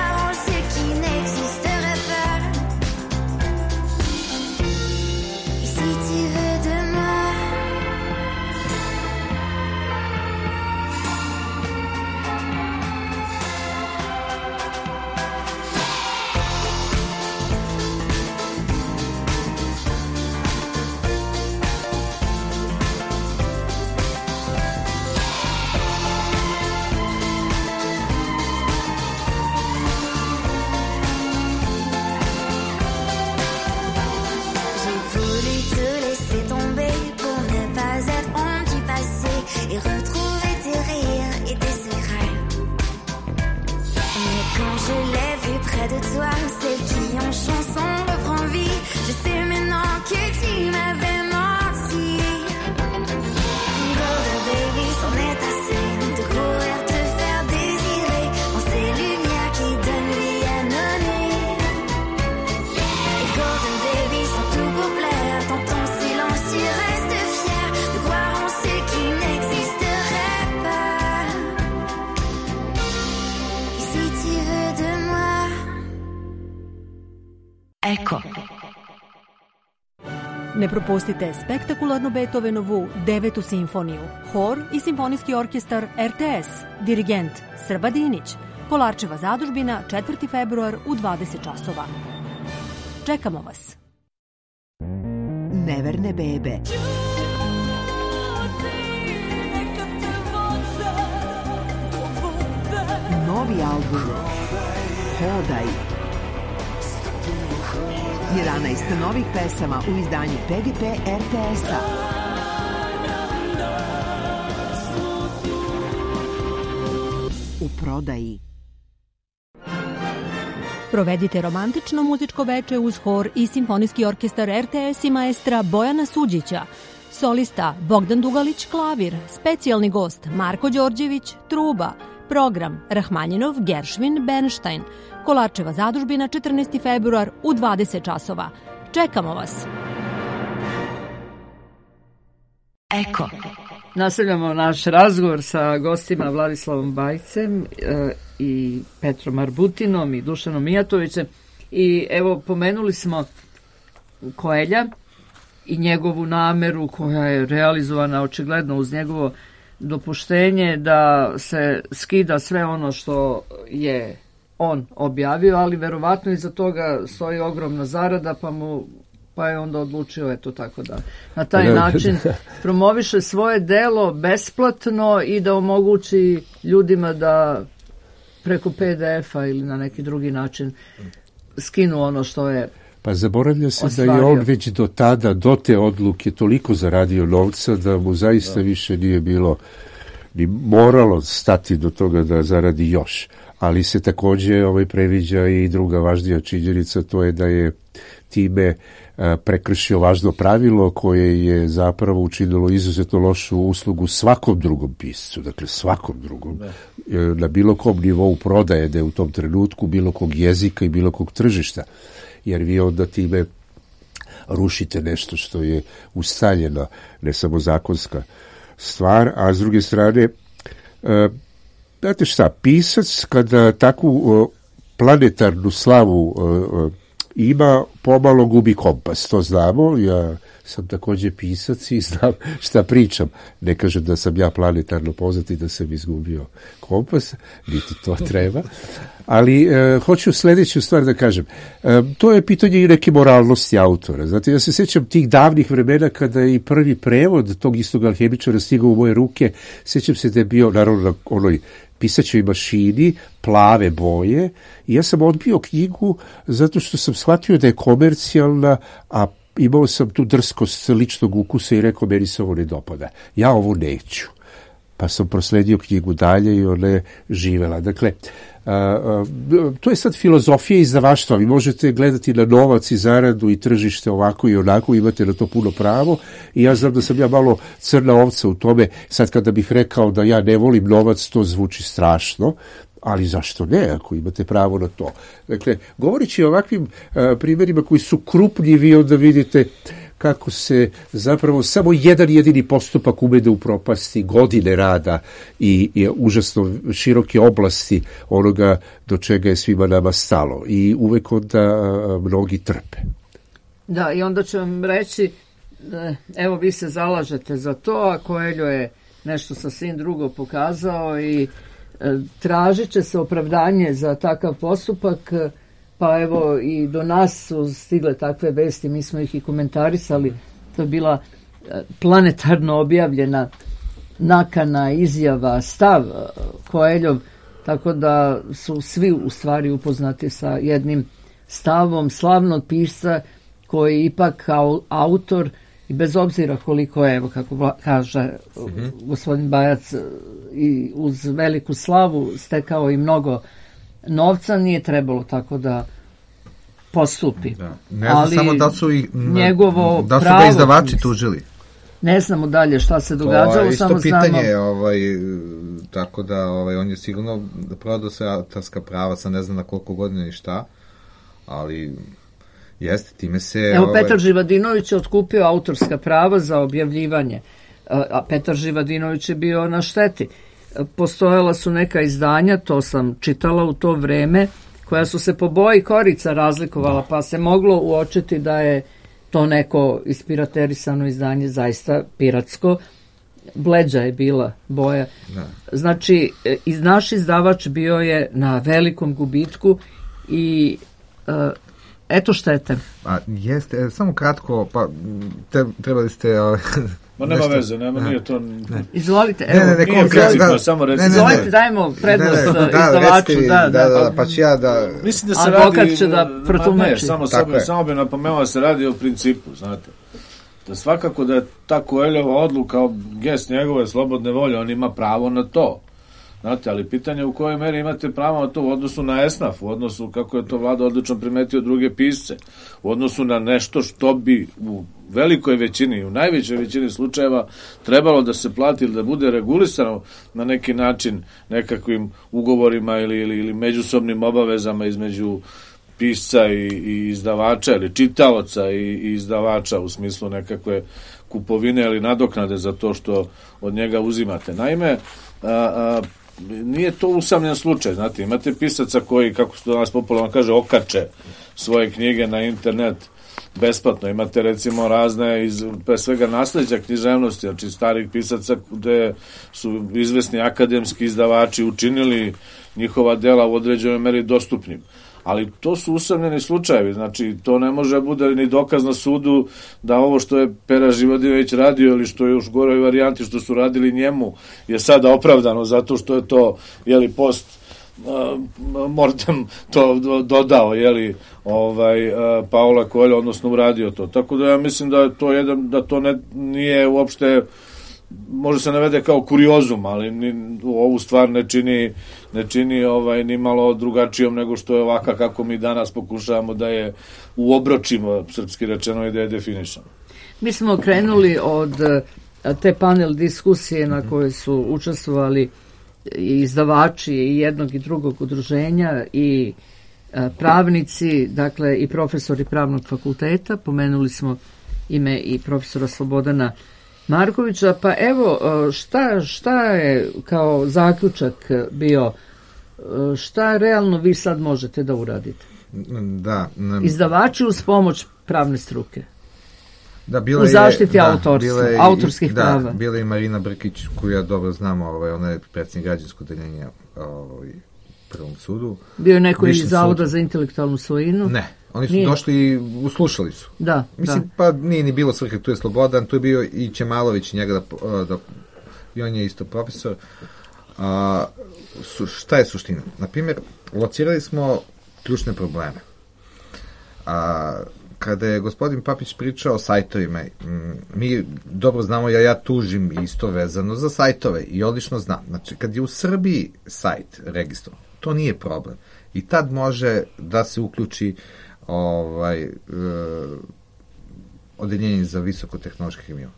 Ne propustite spektakularnu Beethovenovu 9. simfoniju, hor i simfonijski orkestar RTS, dirigent Srba Dinić, Kolarčeva zadužbina, 4. februar u 20 časova. Čekamo vas. Neverne bebe. Novi album Hodaj. 11 novih pesama u izdanju PGP RTS-a. U prodaji. Provedite romantično muzičko veče uz hor i simfonijski orkestar RTS i maestra Bojana Suđića. Solista Bogdan Dugalić klavir, specijalni gost Marko Đorđević truba. Program Rahmanjinov, Geršvin, Bernstein. Kolarčeva zadužbina, 14. februar u 20 časova. Čekamo vas. Eko. Nastavljamo naš razgovor sa gostima Vladislavom Bajcem i Petrom Arbutinom i Dušanom Mijatovićem. I evo, pomenuli smo Koelja i njegovu nameru koja je realizovana očigledno uz njegovo dopuštenje da se skida sve ono što je on objavio, ali verovatno iza toga stoji ogromna zarada, pa je onda odlučio eto tako da na taj način promoviše svoje delo besplatno i da omogući ljudima da preko PDF-a ili na neki drugi način skinu ono što je Pa zaboravlja se ostvario. Da je on već do tada, do te odluke toliko zaradio novca da mu zaista više nije bilo ni moralo stati do toga da zaradi još. Ali se takođe previđa i druga važnija činjenica, to je da je time prekršio važno pravilo koje je zapravo učinilo izuzetno lošu uslugu svakom drugom piscu, dakle svakom drugom, na bilo kom nivou prodaje da je u tom trenutku, bilo kog jezika i bilo kog tržišta, jer vi onda time rušite nešto što je ustaljeno, ne samo zakonska stvar, a s druge strane, znate šta, pisac kada takvu planetarnu slavu ima, pomalo gubi kompas, to znamo, ja sam takođe pisac i znam šta pričam. Ne kažem da sam ja planetarno poznat i da sam izgubio kompas, niti to treba, ali hoću sledeću stvar da kažem. To je pitanje i neke moralnosti autora. Znate, ja se sjećam tih davnih vremena kada je i prvi prevod tog istog alhemičara stigao u moje ruke, sjećam se da je bio naravno na onoj pisaćoj mašini, plave boje, i ja sam odbio knjigu zato što sam shvatio da je komercijalna, a imao sam tu drskost ličnog ukusa i rekao, meni se ovo ne dopada. Ja ovo neću. Pa sam prosledio knjigu dalje i ona je živela. Dakle, to je sad filozofija izdavaštva. Vi možete gledati na novac i zaradu i tržište ovako i onako, imate na to puno pravo i ja znam da sam ja malo crna ovca u tome. Sad kada bih rekao da ja ne volim novac, to zvuči strašno, ali zašto ne, ako imate pravo na to. Dakle, govoreći o ovakvim primjerima koji su krupni, vi onda vidite kako se zapravo samo jedan jedini postupak ume da upropasti godine rada i užasno široke oblasti onoga do čega je svima nama stalo. I uvek onda mnogi trpe. Da, i onda ću vam reći, evo vi se zalažete za to, a Coelho je nešto sasvim drugo pokazao i tražit će se opravdanje za takav postupak. Pa evo i do nas su stigle takve vesti, mi smo ih i komentarisali, to je bila planetarno objavljena nakana, izjava, stav Coelhov, tako da su svi u stvari upoznati sa jednim stavom slavnog pisca koji ipak kao autor, i bez obzira koliko je, evo kako kaže gospodin Bajac, i uz veliku slavu stekao i mnogo novca, nije trebalo tako da postupi. Da. Ne znam ali samo da su njegovo da su pravo, ga izdavači tužili. Ne znamo dalje šta se događalo, to je isto samo pitanje, znamo... tako da on je sigurno prodao se autorska prava, sam ne znam na koliko godina i šta, ali jeste, time se... Evo, Petar Živadinović je otkupio autorska prava za objavljivanje, a Petar Živadinović je bio na šteti. Postojala su neka izdanja, to sam čitala u to vreme, koja su se po boji korica razlikovala, pa se moglo uočiti da je to neko ispiraterisano izdanje zaista piratsko, bleđa je bila boja. Znači, naš izdavač bio je na velikom gubitku i eto štete. Jeste, samo kratko, pa trebali ste... Ma nema veze, nije to... Izvolite, evo. Nije principno, samo recimo. Izvolite, dajmo prednost izdavaču. Pa ću ja da... Mislim da se radi... Advokat će da protumači. Samo bi napomenuo da se radi o principu, znate. Da svakako da je ta Koeljeva odluka, gest njegove slobodne volje, on ima pravo na to. Znate, ali pitanje u kojoj meri imate pravo na to u odnosu na esnaf, u odnosu kako je to Vlada odlično primetio druge pisce, u odnosu na nešto što bi u velikoj većini, u najvećoj većini slučajeva trebalo da se plati ili da bude regulisano na neki način nekakvim ugovorima ili međusobnim obavezama između pisca i izdavača ili čitaoca i izdavača u smislu nekakve kupovine ili nadoknade za to što od njega uzimate. Naime, nije to usamljen slučaj, znate, imate pisaca koji, kako se to danas popularno kaže, okače svoje knjige na internet besplatno, imate recimo razne pre svega nasleđa književnosti, znači starih pisaca gde su izvesni akademski izdavači učinili njihova dela u određenoj meri dostupnim. Ali to su usamljeni slučajevi, znači to ne može bude ni dokaz na sudu da ovo što je Pera Živodinović radio ili što je još goroj varijanti što su radili njemu je sada opravdano zato što je to post mortem to dodao Paola Coelho, odnosno uradio to. Tako da ja mislim da to nije uopšte, može se navede kao kuriozum, ali ovu stvar ne čini ni malo drugačijom nego što je ovaka kako mi danas pokušavamo da je uobročimo, srpski rečeno, i da je definišemo. Mi smo krenuli od te panel diskusije na kojoj su učestvovali i izdavači i jednog i drugog udruženja i pravnici, dakle i profesori pravnog fakulteta. Pomenuli smo ime i profesora Slobodana Markovića, pa evo šta je kao zaključak bio, šta realno vi sad možete da uradite? Izdavači uz pomoć pravne struke. U zaštiti autorskih prava. Bila je i Marina Brkić, koju ja dobro znam, ona je predsjednik građanskog odeljenja Prvom sudu. Bio je neko iz Zavoda za intelektualnu svojinu? Ne. Oni su došli i uslušali su. Pa nije ni bilo svrhe, tu je Slobodan, tu je bio i Čemalović, njega i on je isto profesor. Šta je suština? Naprimjer, locirali smo ključne probleme. Kada je gospodin Papić pričao o sajtovima, mi dobro znamo, ja tužim isto vezano za sajtove i odlično znam. Znači, kad je u Srbiji sajt registrovan, to nije problem. I tad može da se uključi odeljenje za visokotehnološke hemiju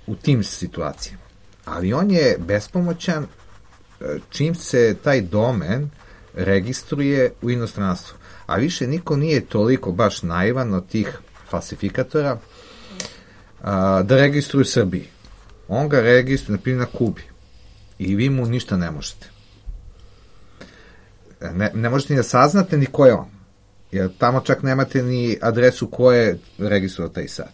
u tim situacijama. Ali on je bespomoćan čim se taj domen registruje u inostranstvu. A više niko nije toliko baš naivan od tih falsifikatora da registruju Srbiji. On ga registruje, na primjer, na Kubi. I vi mu ništa ne možete. Ne možete ni da saznate ni ko je on. Jer tamo čak nemate ni adresu ko je registrovao taj sajt.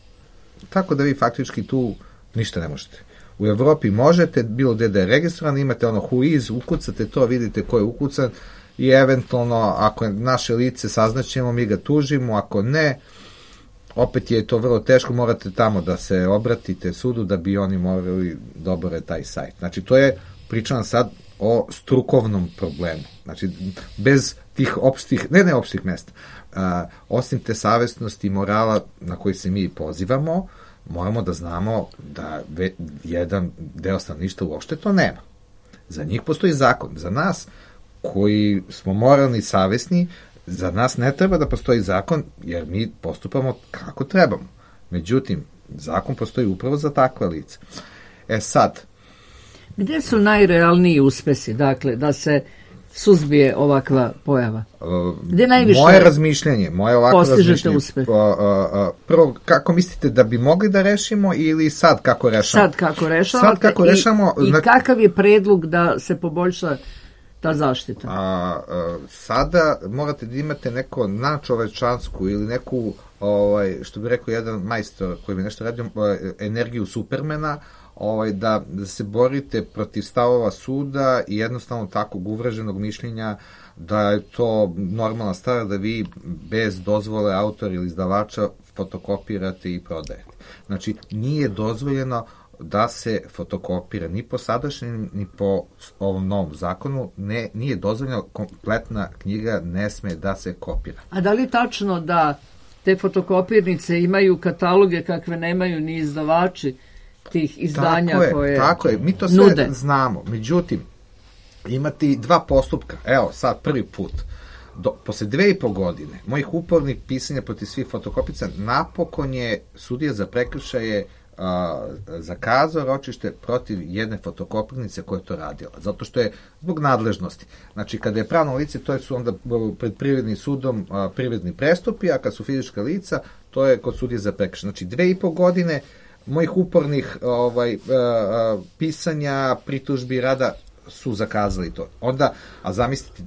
Tako da vi faktički tu ništa ne možete. U Evropi možete, bilo gde da je registrovan, imate who is, ukucate to, vidite ko je ukucan i eventualno, ako je naše lice saznaćemo, mi ga tužimo, ako ne, opet je to vrlo teško, morate tamo da se obratite sudu da bi oni morali da obore taj sajt. Znači, to je, pričam sad o strukovnom problemu. Znači, bez tih opštih, ne opštih mesta, osim te savesnosti i morala na koji se mi pozivamo, moramo da znamo da jedan deo stanovništva uopšte to nema. Za njih postoji zakon. Za nas, koji smo moralni i savesni, za nas ne treba da postoji zakon, jer mi postupamo kako trebamo. Međutim, zakon postoji upravo za takva lica. Sad, gde su najrealniji uspesi, dakle, da se suzbije ovakva pojava? Gde najviše moje razmišljanje, postižete uspeh? Prvo, kako mislite da bi mogli da rešimo ili sad kako rešamo? Sad kako rešamo. I kakav je predlog da se poboljša ta zaštita? Sada morate da imate neko nadčovečansku ili neku, što bi rekao jedan majstor koji bi nešto radio, energiju Supermana, da se borite protiv stavova suda i jednostavno takvog uvreženog mišljenja da je to normalna stvar da vi bez dozvole autora ili izdavača fotokopirate i prodajete. Znači, nije dozvoljeno da se fotokopira ni po sadašnjem, ni po ovom novom zakonu, nije dozvoljeno, kompletna knjiga ne sme da se kopira. A da li je tačno da te fotokopirnice imaju kataloge kakve nemaju ni izdavači tih izdanja koje nude? Tako je, mi to sve znamo. Međutim, imati dva postupka, evo sad prvi put, posle 2,5 godine mojih upornih pisanja protiv svih fotokopica, napokon je sudija za prekršaje zakazao ročište protiv jedne fotokopirnice koja je to radila, zato što je zbog nadležnosti. Znači, kada je pravno lice, to su onda pred privrednim sudom privredni prestupi, a kad su fizička lica, to je kod sudije za prekršaje. Znači, 2,5 godine mojih upornih pisanja, pritužbi, rada su zakazali to. Onda, a zamislite,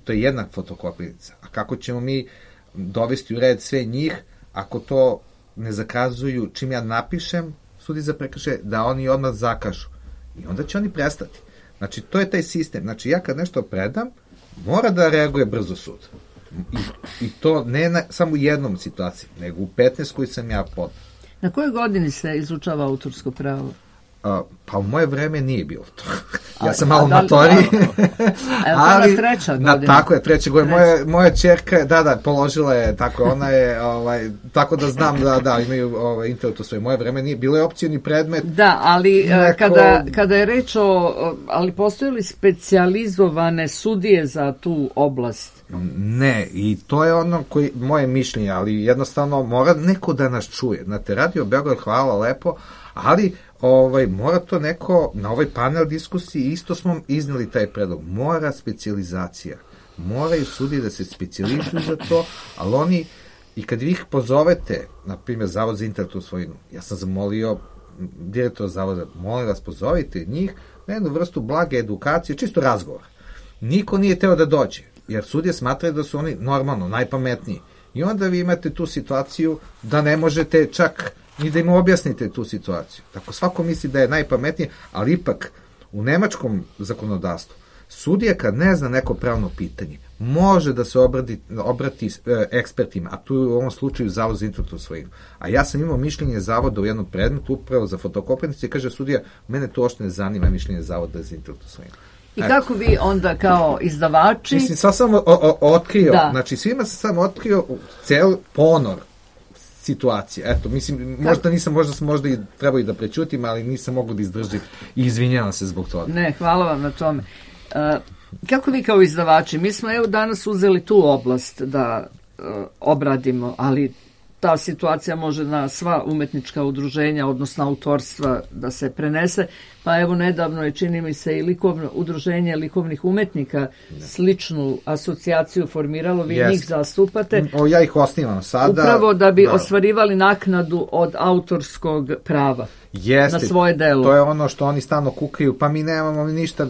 to je jedna fotokopirnica. A kako ćemo mi dovesti u red sve njih ako to ne zakazuju čim ja napišem sudi za prekršaje, da oni odmah zakažu. I onda će oni prestati. Znači, to je taj sistem. Znači, ja kad nešto predam, mora da reaguje brzo sud. I to ne samo u jednom situaciji, nego u 15 koji sam ja podao. Na kojoj godini se izučava autorsko pravo? Pa u moje vreme nije bilo to. Ja sam malo matori. Ali treća godina. Tako je, treća godina. Moja ćerka, položila je, tako, ona je, tako da znam da imaju intelektu svoje. Moje vreme nije, bilo je opcijni predmet. Da, ali kada je reč ali postoje li specijalizovane sudije za tu oblast? Ne, i to je ono moje mišljenje, ali jednostavno mora neko da nas čuje. Znate, Radio Beograd, hvala lepo, ali mora to neko, na ovoj panel diskusiji isto smo izneli taj predlog, mora specijalizacija, moraju sudije da se specijalizuju za to, ali oni, i kad vi ih pozovete, na primjer Zavod za intelektualnu svojinu, ja sam zamolio direktora Zavoda, molim vas pozovite njih na jednu vrstu blage edukacije, čisto razgovor. Niko nije teo da dođe, jer sudije smatraju da su oni normalno najpametniji. I onda vi imate tu situaciju da ne možete čak ni da im objasnite tu situaciju. Tako svako misli da je najpametnije, ali ipak u nemačkom zakonodavstvu sudija kad ne zna neko pravno pitanje, može da se obrati ekspertima, a tu je u ovom slučaju Zavod za intelektualnu svojinu. A ja sam imao mišljenje Zavoda u jednom predmetu upravo za fotokopirnice i kaže sudija, mene to uopšte ne zanima mišljenje Zavoda za intelektualnu svojinu. I kako vi onda kao izdavači... Mislim, sad sam otkrio, znači svima sam samo otkrio cel ponor situacije. Eto, mislim, možda sam i trebao i da prećutim, ali nisam mogu da izdržim i izvinjavam se zbog toga. Ne, hvala vam na tome. Kako vi kao izdavači, mi smo danas uzeli tu oblast da obradimo, ali ta situacija može na sva umetnička udruženja, odnosno autorstva da se prenese, pa nedavno je, čini mi se, i udruženje likovnih umetnika sličnu asocijaciju formiralo, vi njih zastupate. Ja ih osnivam sada. Upravo da bi ostvarivali naknadu od autorskog prava na svoje delo. To je ono što oni stalno kukaju, pa mi nemamo ništa,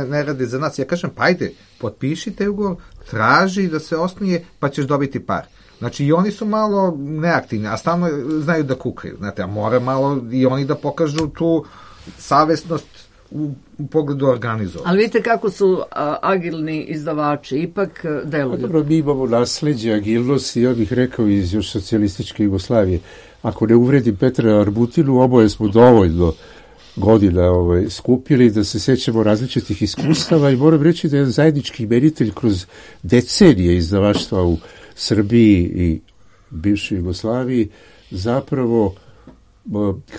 ne rade za nas. Ja kažem, pa ajde, potpišite ugovor, traži da se osnuje, pa ćeš dobiti par. Znači, i oni su malo neaktivni, a stalno znaju da kukaju. Znate, a mora malo i oni da pokažu tu savesnost u pogledu organizovanja. Ali vidite kako su agilni izdavači, ipak deluju. Dobro, mi imamo nasleđe agilnosti, ja bih rekao iz još socijalističke Jugoslavije. Ako ne uvredim Petra Arbutinu, oboje smo dovoljno godina skupili da se sećamo različitih iskustava i moram reći da je zajednički imenitelj kroz decenije izdavaštva u Srbiji i bivšoj Jugoslaviji zapravo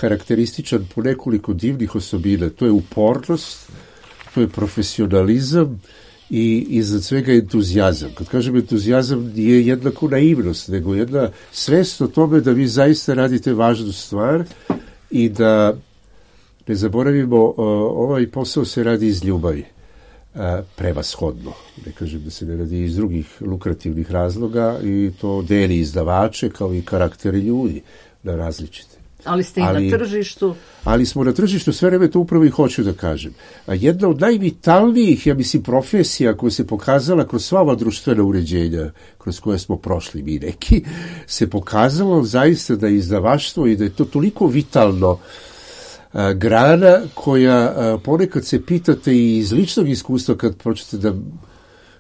karakterističan po nekoliko divnih osobina. To je upornost, to je profesionalizam i iznad svega entuzijazam. Kad kažem entuzijazam, nije jednako naivnost, nego jedna svest o tome da vi zaista radite važnu stvar i da ne zaboravimo, ovaj posao se radi iz ljubavi. Prevashodno. Ne kažem da se ne radi iz drugih lukrativnih razloga i to deli izdavače kao i karakteri ljudi na različite. Ali ste i na tržištu. Ali smo na tržištu, sve vreme to upravo i hoću da kažem. A jedna od najvitalnijih, ja mislim, profesija koja se pokazala kroz sva ova društvena uređenja kroz koje smo prošli mi neki, se pokazalo zaista da je izdavaštvo i da je to toliko vitalno grana koja ponekad se pitate i iz ličnog iskustva kad počnete da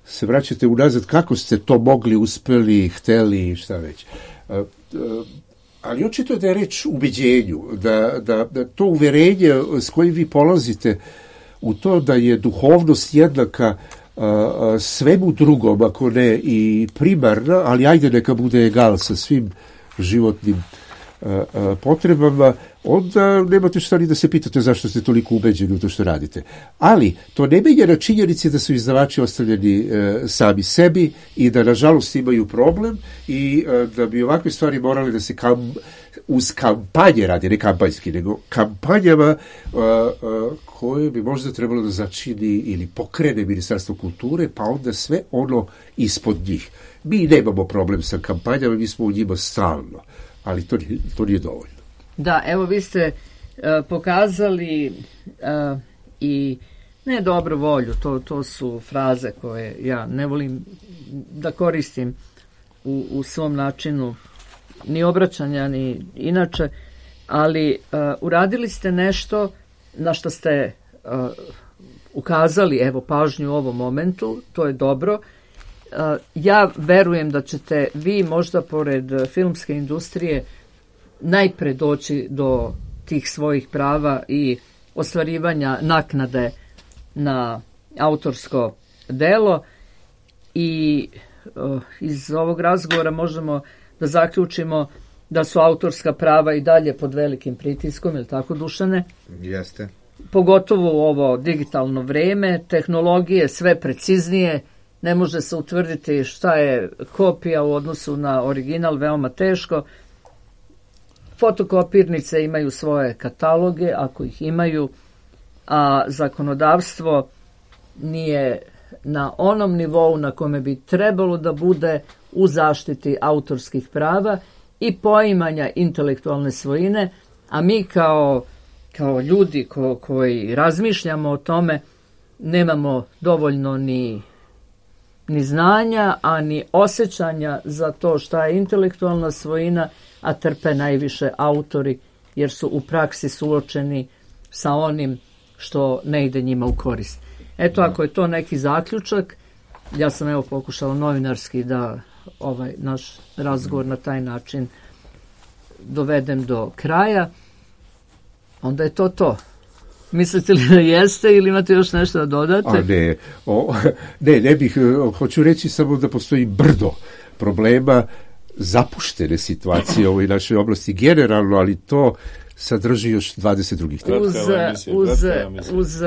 se vraćate unazad kako ste to mogli, uspeli, hteli i šta već. Ali očito je da je reč u ubeđenju, da to uverenje s kojim vi polazite u to da je duhovnost jednaka svemu drugom, ako ne i primarna, ali ajde neka bude egal sa svim životnim potrebama, onda nemate šta ni da se pitate zašto ste toliko ubeđeni u to što radite. Ali to ne menja na činjenici da su izdavači ostavljeni sami sebi i da nažalost imaju problem i da bi ovakve stvari morali da se uz kampanje radi, ne kampanjski, nego kampanjama koje bi možda trebalo da začini ili pokrene Ministarstvo kulture, pa onda sve ono ispod njih. Mi nemamo problem sa kampanjama, mi smo u njima stalno, ali to nije dovoljno. Da, evo vi ste pokazali i ne dobru volju, to su fraze koje ja ne volim da koristim u svom načinu ni obraćanja ni inače, ali uradili ste nešto na što ste ukazali evo pažnju u ovom momentu, to je dobro. Ja verujem da ćete vi možda pored filmske industrije najpre doći do tih svojih prava i ostvarivanja naknade na autorsko delo i iz ovog razgovora možemo da zaključimo da su autorska prava i dalje pod velikim pritiskom, je li tako, Dušane? Jeste. Pogotovo u ovo digitalno vreme, tehnologije sve preciznije, ne može se utvrditi šta je kopija u odnosu na original, veoma teško. Fotokopirnice imaju svoje kataloge, ako ih imaju, a zakonodavstvo nije na onom nivou na kome bi trebalo da bude u zaštiti autorskih prava i poimanja intelektualne svojine, a mi kao ljudi koji razmišljamo o tome nemamo dovoljno ni znanja, a ni osjećanja za to šta je intelektualna svojina, a trpe najviše autori jer su u praksi suočeni sa onim što ne ide njima u korist. Eto, ako je to neki zaključak, ja sam evo pokušala novinarski da ovaj naš razgovor na taj način dovedem do kraja, onda je to. Mislite li da jeste ili imate još nešto da dodate? Ne bih, hoću reći samo da postoji brdo problema zapuštene situacije u ovoj našoj oblasti generalno, ali to sadrži još 20 drugih tema. Uz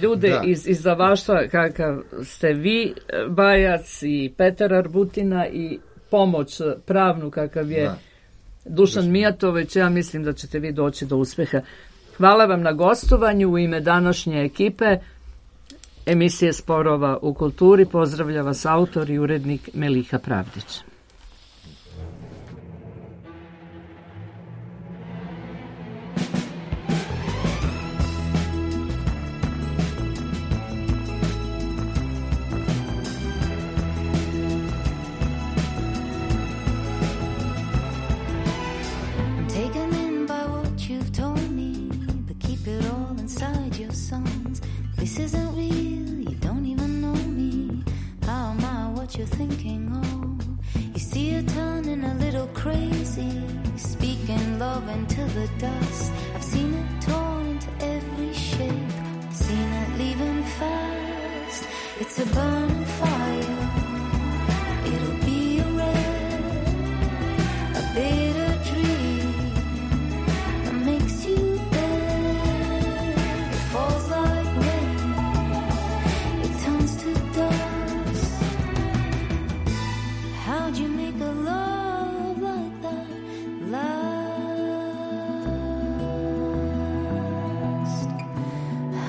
ljude iz izdavaštva kakav ste vi, Bajac i Petar Arbutina i pomoć pravnu kakav je Dušan Mijatović, ja mislim da ćete vi doći do uspeha. Hvala vam na gostovanju u ime današnje ekipe emisije Sporova u kulturi. Pozdravlja vas autor i urednik Meliha Pravdić.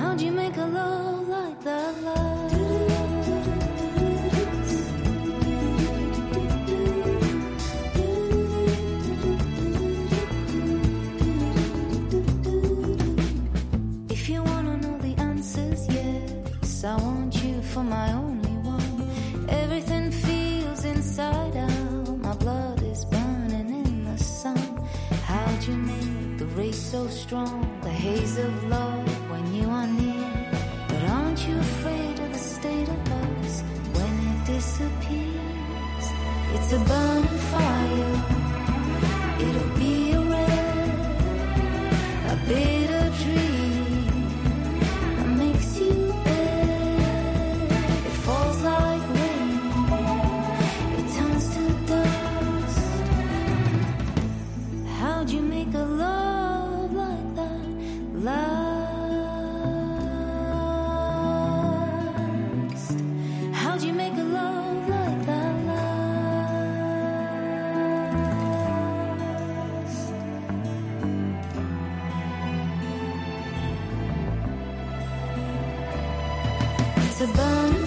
How'd you make a love like that last? I want you for my only one. Everything feels inside out. My blood is burning in the sun. How'd you make the race so strong? The haze of love when you are near. But aren't you afraid of the state of us when it disappears? It's a burning fire. It'll be a red, a bitter dream that makes you bad. It falls like rain, it turns to dust. How'd you make a love like that last? How'd you make a love like that last? It's a burn